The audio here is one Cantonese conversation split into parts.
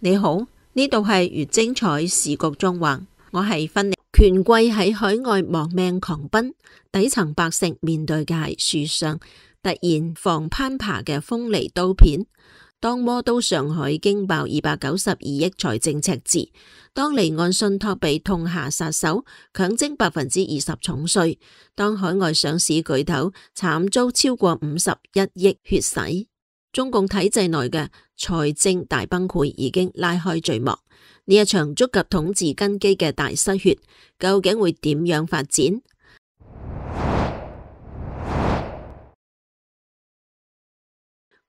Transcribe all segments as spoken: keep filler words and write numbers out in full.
你好，呢度係越精彩時局縱橫，我係芬妮。權貴喺海外亡命狂奔，底層百姓面對嘅係樹上突然防攀爬嘅鋒利刀片。當魔都上海驚爆二百九十二億財政赤字，當離岸信託被痛下殺手強徵百分之二十重稅，當海外上市巨頭慘遭超過五十一億血洗，中共體制內嘅財政大崩潰已經拉開序幕。呢一場觸及統治根基嘅大失血，究竟會點樣發展？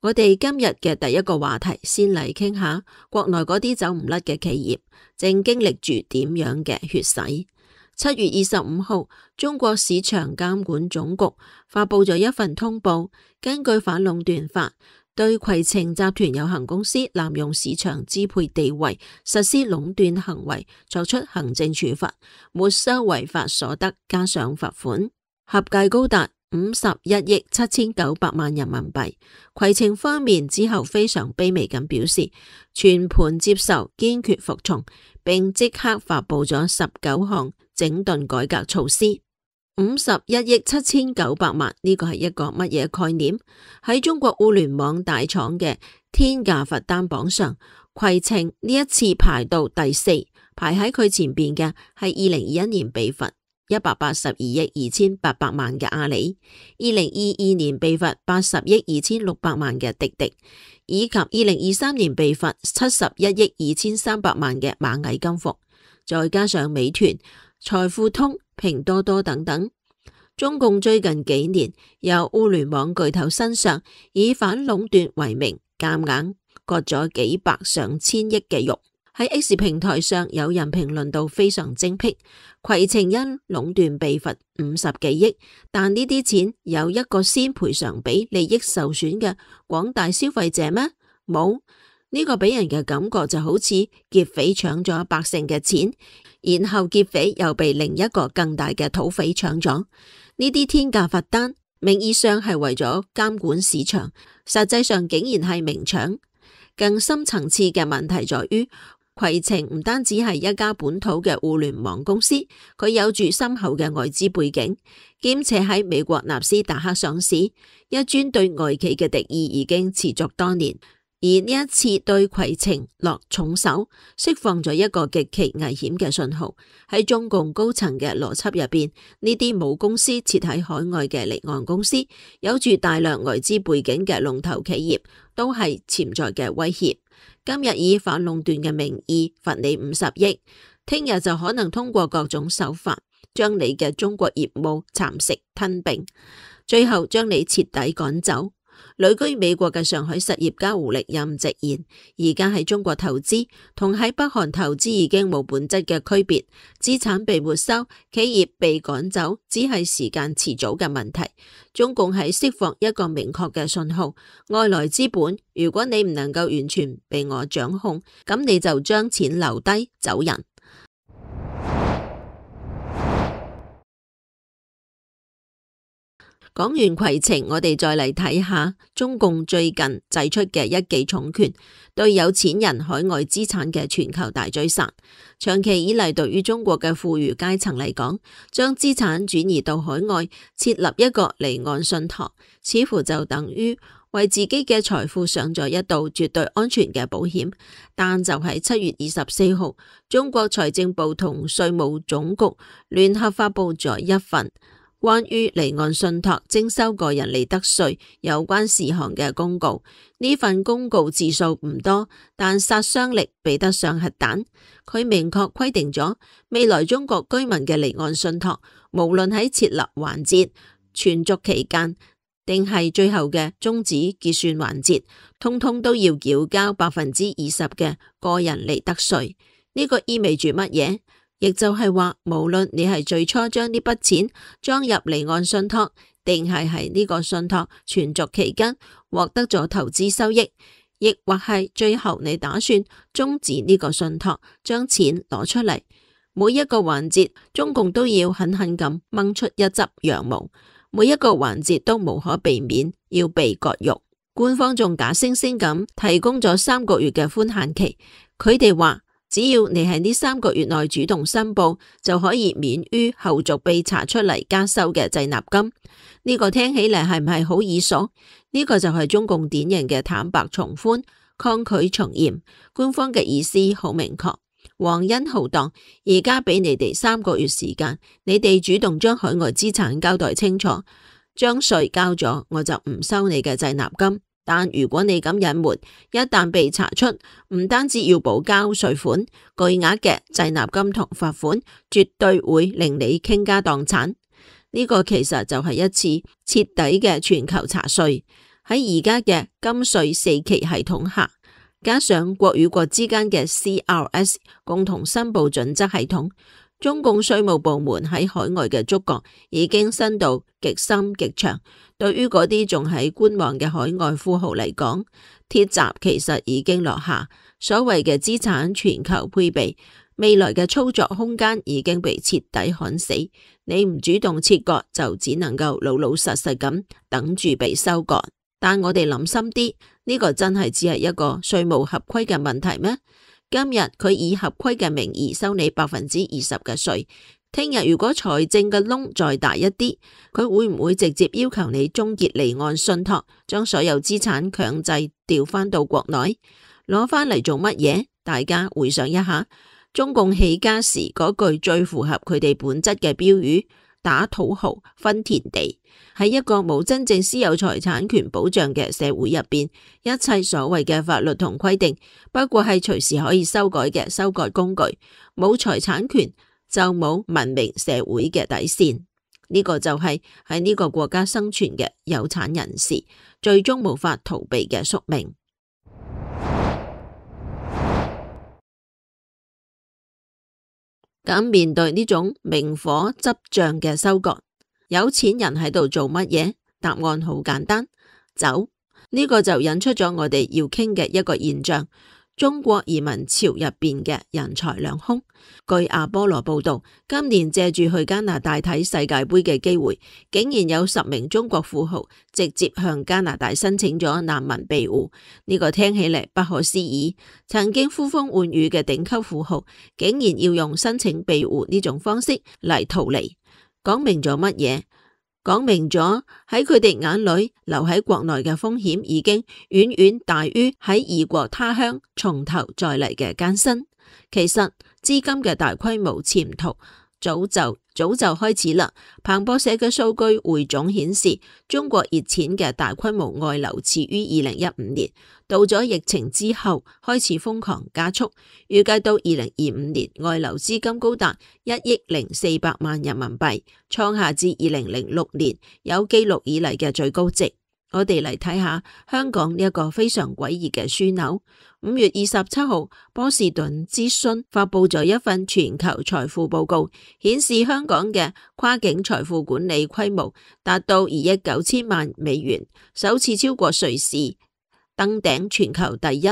我哋今日嘅第一個話題，先嚟傾下國內嗰啲走唔甩嘅企業，正經歷住點樣嘅血洗。七月二十五號，中國市場監管總局發佈咗一份通報，根據反壟斷法，對攜程集團有限公司濫用市場支配地位實施壟斷行為作出行政處罰，沒收違法所得加上罰款，合計高達五十一億七千九百萬人民幣。攜程方面之後非常卑微咁表示全盤接受，堅決服從，並即刻發佈咗十九項整頓改革措施。五十一億七千九百萬呢個係一個乜嘢概念？喺中國互聯網大廠嘅天價罰單榜上，攜程呢一次排到第四，排喺佢前邊嘅係二零二一年被罰一百八十二億二千八百萬嘅阿里，二零二二年被罰八十億二千六百萬嘅滴滴，以及二零二三年被罰七十一億二千三百萬嘅螞蟻金服，再加上美團、財付通、拼多多等等，中共最近幾年由互聯網巨頭身上以反壟斷為名，夾硬割咗幾百上千億嘅肉。喺 X 平台上有人評論到非常精闢，攜程因壟斷被罰五十幾億，但呢啲錢有一個先賠償俾利益受損嘅廣大消費者咩？冇。呢個俾人嘅感覺就好似劫匪搶咗百姓嘅錢，然後劫匪又被另一個更大嘅土匪搶咗。呢啲天價罰單名義上係為咗監管市場，實際上竟然係明搶。更深層次嘅問題在於，攜程唔單止係一家本土嘅互聯網公司，佢有住深厚嘅外資背景，兼且喺美國納斯達克上市，一尊對外企嘅敵意已經持續多年。而呢一次對攜程落重手，釋放咗一個極其危險嘅信號。喺中共高層嘅邏輯入邊，呢啲母公司設喺海外嘅離岸公司，有住大量外資背景嘅龍頭企業，都係潛在嘅威脅。今日以反壟斷嘅名義罰你五十億，聽日就可能通過各種手法將你嘅中國業務蠶食吞併，最後將你徹底趕走。旅居美國嘅上海實業家胡力任直言，而家喺中國投資同喺北韓投資已經冇本質嘅區別，資產被沒收，企業被趕走，只係時間遲早嘅問題。中共係釋放一個明確嘅信號，外來資本，如果你唔能夠完全被我掌控，咁你就將錢留低走人。講完攜程，我哋再嚟睇下中共最近祭出嘅一記重拳，對有錢人海外資產嘅全球大追殺。長期以嚟，對於中國嘅富裕階層嚟講，將資產轉移到海外，設立一個離岸信託，似乎就等於為自己嘅財富上咗一道絕對安全嘅保險。但就喺七月二十四號，中國財政部同稅務總局聯合發佈咗一份關於離岸信託徵收個人利得稅有關事項嘅公告。呢份公告字數唔多，但殺傷力比得上核彈。佢明確規定咗未來中國居民嘅離岸信託，無論喺設立環節、存續期間，定係最後嘅終止結算環節，通通都要繳交百分之二十嘅個人利得稅。呢個意味住乜嘢？亦就係話，無論你係最初將呢筆錢裝入離岸信託，定係喺呢個信託存續期間獲得咗投資收益，亦或係最後你打算終止呢個信託，將錢攞出嚟，每一個環節中共都要狠狠咁掹出一執羊毛，每一個環節都無可避免要被割肉。官方仲假惺惺咁提供咗三個月嘅寬限期，佢哋話，只要你喺呢三個月內主動申報，就可以免於後續被查出嚟加收嘅滯納金。呢個聽起嚟係唔係好耳熟？呢個就係中共典型嘅坦白從寬，抗拒從嚴。官方嘅意思好明確，皇恩浩蕩，而家俾你哋三個月時間，你哋主動將海外資產交代清楚，將稅交咗，我就唔收你嘅滯納金。但如果你咁隱瞞，一旦被查出，唔單止要補交稅款，巨額嘅滯納金同罰款，絕對會令你傾家蕩產。呢個其實就係一次徹底嘅全球查稅。喺而家嘅金稅四期系統下，加上國與國之間嘅 C R S 共同申報準則系統，中共稅務部門喺海外嘅觸角已經伸到極深極長。對於嗰啲仲喺觀望嘅海外富豪嚟講，鐵閘其實已經落下，所謂嘅資產全球配備，未來嘅操作空間已經被徹底砍死。你唔主動切割，就只能夠老老實實咁等住被收割。但我哋諗深啲，呢個真係只係一個稅務合規嘅問題咩？今日佢以合規嘅名義收你百分之二十嘅稅，聽日如果財政嘅窿再大一啲，佢會唔會直接要求你終結離岸信託，將所有資產強制調翻到國內，攞翻嚟做乜嘢？大家回想一下，中共起家時嗰句最符合佢哋本質嘅標語：打土豪分田地。喺一個冇真正私有財產權保障嘅社會入邊，一切所謂嘅法律同規定，不過係隨時可以修改嘅修改工具。冇財產權就冇文明社會嘅底線。呢個就係喺呢個國家生存嘅有產人士最終無法逃避嘅宿命。咁面對呢種明火執仗嘅收割，有錢人喺度做乜嘢？答案好簡單，走。呢個就引出咗我哋要傾嘅一個現象：中國移民潮入邊嘅人才兩空。據阿波羅報道，今年借住去加拿大睇世界盃嘅機會，竟然有十名中國富豪直接向加拿大申請咗難民庇護。呢個聽起嚟不可思議。曾經呼風喚雨嘅頂級富豪，竟然要用申請庇護呢種方式嚟逃離，講明咗乜嘢？講明咗喺佢哋眼裏，留喺國內嘅風險已經遠遠大於喺異國他鄉從頭再嚟嘅艱辛。其實資金嘅大規模潛逃早就早就開始啦。彭博社嘅數據匯總顯示，中國熱錢嘅大規模外流始於二零一五年，到咗疫情之後開始瘋狂加速，預計到二零二五年外流資金高達一億零四百萬人民幣，創下自二零零六年有記錄以嚟嘅最高值。我哋嚟睇下香港呢一個非常詭異嘅樞紐。五月二十七號，波士頓諮詢發佈咗一份全球財富報告，顯示香港嘅跨境財富管理規模達到二億九千萬美元，首次超過瑞士，登頂全球第一。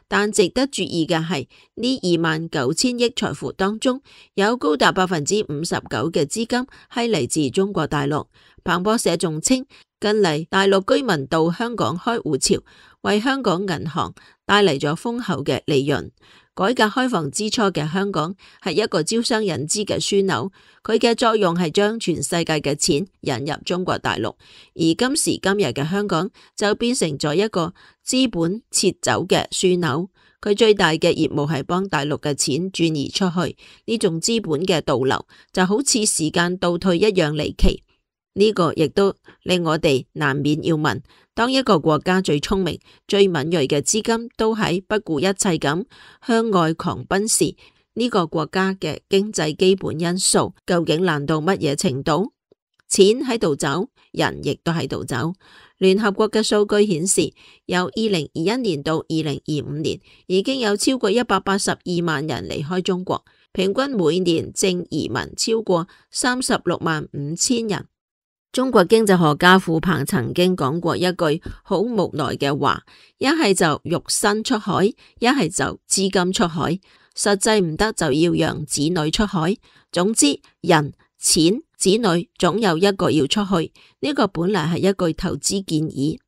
但值得注意嘅係，呢二萬九千億財富當中，有高達百分之五十九嘅資金係嚟自中國大陸。彭博社仲稱，近嚟大陸居民到香港開戶潮，為香港銀行帶嚟咗豐厚嘅利潤。改革開放之初嘅香港係一個招商引資嘅樞紐，佢嘅作用係將全世界嘅錢引入中國大陸。而今時今日嘅香港就變成咗一個資本撤走嘅樞紐，佢最大嘅業務係幫大陸嘅錢轉移出去。呢種資本嘅倒流就好似時間倒退一樣離奇。呢個亦都令我哋難免要問：當一個國家最聰明、最敏銳嘅資金都喺不顧一切咁向外狂奔時，呢個國家嘅經濟基本因素究竟爛到乜嘢程度？錢喺度走，人亦都喺度走。聯合國嘅數據顯示，由二零二一年到二零二五年，已經有超過一百八十二萬人離開中國，平均每年淨移民超過三十六萬五千人。中國經濟學家傅鵬曾經講過一句好無奈嘅話：一係就肉身出海，一係就資金出海，實際唔得就要讓子女出海。總之，人、錢、子女總有一個要出去。呢個本來係一句投資建議，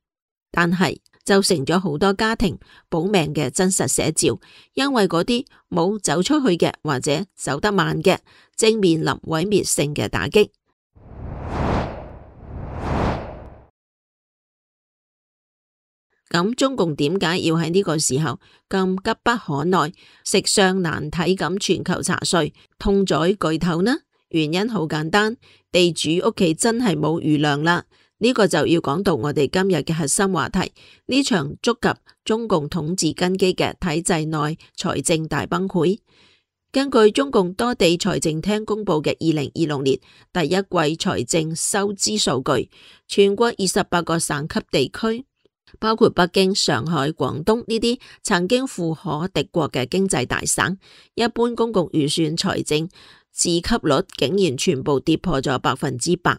但係就成咗好多家庭保命嘅真實寫照。因為嗰啲冇走出去嘅或者走得慢嘅，正面臨毀滅性嘅打擊。咁中共點解要喺呢個時候咁急不可耐、食相難睇咁全球查稅、痛宰巨頭呢？原因好簡單，地主屋企真係冇餘糧啦。呢個就要講到我哋今日嘅核心話題，呢場觸及中共統治根基嘅體制內財政大崩潰。根據中共多地財政廳公布嘅二零二六年第一季財政收支數據，全國二十八個省級地區，包括北京、上海、廣東呢啲曾經富可敵國嘅經濟大省，一般公共預算財政自給率竟然全部跌破咗百分之百。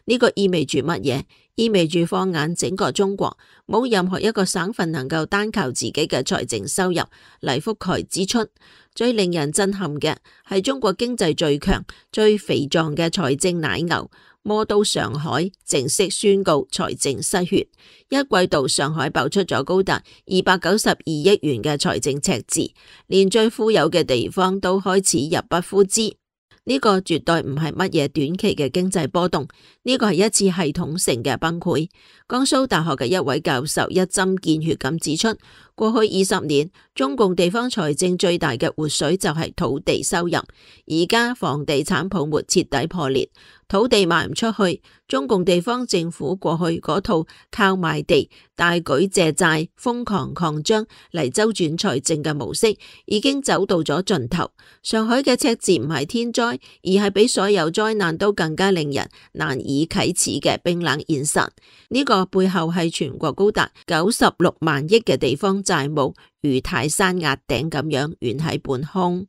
呢個意味住乜嘢？意味住放眼整個中國，冇任何一個省份能夠單靠自己嘅財政收入嚟覆蓋支出。最令人震撼嘅係中國經濟最強、最肥壯嘅財政奶牛魔都上海正式宣告財政失血，一季度上海爆出咗高達二百九十二億元嘅財政赤字，連最富有嘅地方都開始入不敷支。呢個絕對唔係乜嘢短期嘅經濟波動，呢個係一次系統性嘅崩潰。江蘇大學嘅一位教授一針見血咁指出，過去二十年中共地方財政最大嘅活水就係土地收入，而家房地產泡沫徹底破裂，土地賣唔出去，中共地方政府過去嗰套靠賣地、大舉借債、瘋狂擴張嚟周轉財政嘅模式已經走到咗盡頭。上海嘅赤字唔係天災，而係比所有災難都更加令人難以啟齒嘅冰冷現實。呢個背後係全國高達九十六萬億嘅地方債務如泰山壓頂咁樣懸喺半空。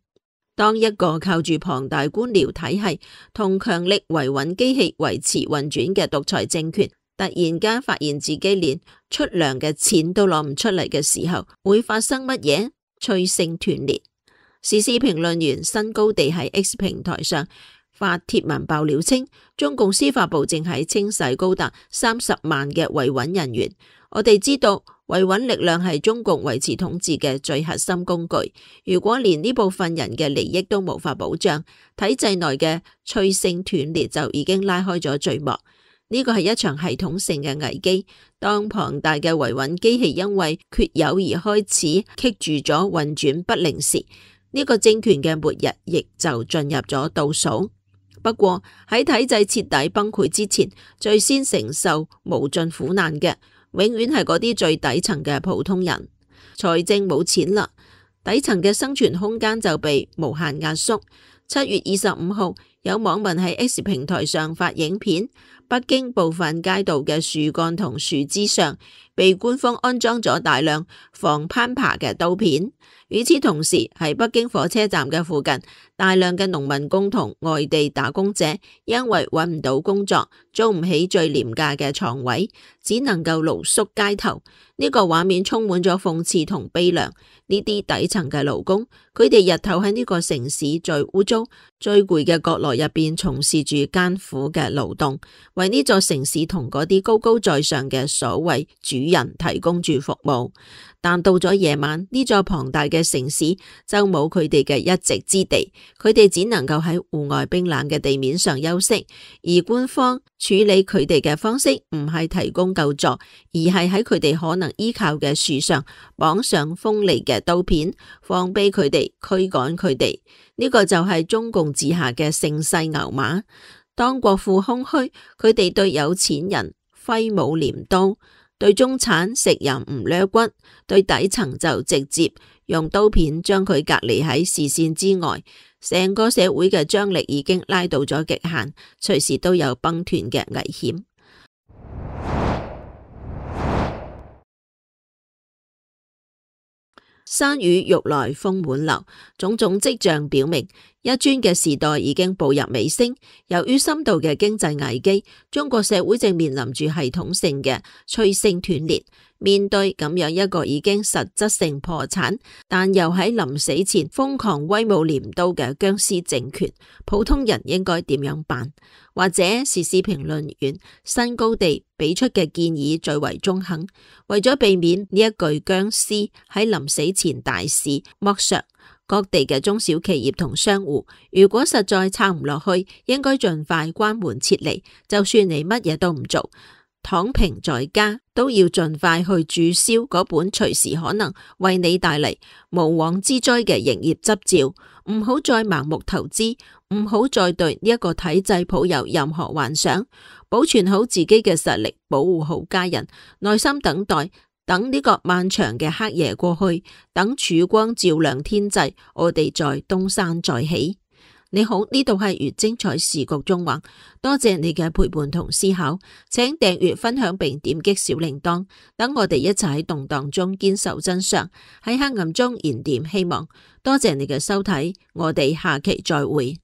當一個靠住龐大官僚體系同強力維穩機器維持運轉嘅獨裁政權，突然間發現自己連出糧嘅錢都攞唔出嚟嘅時候，會發生乜嘢？催生斷裂。時事評論員新高地喺 X 平台上發帖文爆料稱，中共司法部正喺清洗高達三十萬嘅維穩人員。我哋知道維穩力量係中共維持統治嘅最核心工具，如果連呢部分人嘅利益都無法保障，體制內嘅催生斷裂就已經拉開咗序幕。呢個係一場系統性嘅危機。當龐大嘅維穩機器因為缺油而開始棘住咗運轉不靈時，呢個政權嘅末日亦就進入咗倒數。不過喺體制徹底崩潰之前，最先承受無盡苦難嘅，永遠係嗰啲最底層嘅普通人。財政冇錢啦，底層嘅生存空間就被無限壓縮。七月二十五號，有網民喺 X 平台上發影片，北京部分街道嘅樹幹同樹枝上被官方安裝咗大量防攀爬嘅刀片。與此同時，喺北京火車站嘅附近，大量嘅農民工同外地打工者因為揾唔到工作，租唔起最廉價嘅床位，只能夠露宿街頭。呢個畫面充滿咗諷刺同悲涼。呢啲底層嘅勞工，佢哋日頭喺呢個城市最污糟、最攰嘅角落入邊從事住艱苦嘅勞動，為呢座城市同嗰啲高高在上嘅所謂主人提供住服務。但到咗夜晚，呢座龐大嘅城市就冇佢哋嘅一席之地，佢哋只能夠喺戶外冰冷嘅地面上休息。而官方處理佢哋嘅方式唔係提供救助，而係喺佢哋可能依靠嘅樹上綁上鋒利嘅刀片，放飛佢哋，驅趕佢哋。呢個就係中共治下嘅盛世牛馬。當國庫空虛，佢哋對有錢人揮舞鐮刀，對中產食人唔掠骨，對底層就直接用刀片將佢隔離喺視線之外。成個社會嘅張力已經拉到咗極限，隨時都有崩斷嘅危險。山雨欲來風滿樓，種種跡象表明，一尊嘅時代已經步入尾聲。由於深度嘅經濟危機，中國社會正面臨住系統性嘅催生斷裂。面對咁樣一個已經實質性破產，但又喺臨死前瘋狂威武鐮刀嘅僵屍政權，普通人應該點樣辦？或者時事評論員新高地俾出嘅建議最為中肯，為咗避免呢一具僵屍喺臨死前大肆剝削各地嘅中小企業同商戶，如果實在撐唔落去，應該盡快關門撤離，就算你乜嘢都唔做，躺平在家，都要盡快去註銷嗰本隨時可能為你帶嚟無妄之災嘅營業執照，唔好再盲目投資，唔好再對呢一個體制抱有任何幻想，保存好自己嘅實力，保護好家人，耐心等待，等呢個漫長嘅黑夜過去，等曙光照亮天際，我哋再東山再起。你好，呢度係粵精彩時局中話，多謝你嘅陪伴同思考，請訂閱、分享並點擊小鈴鐺，等我哋一齊喺動盪中堅守真相，喺黑暗中燃點希望。多謝你嘅收睇，我哋下期再會。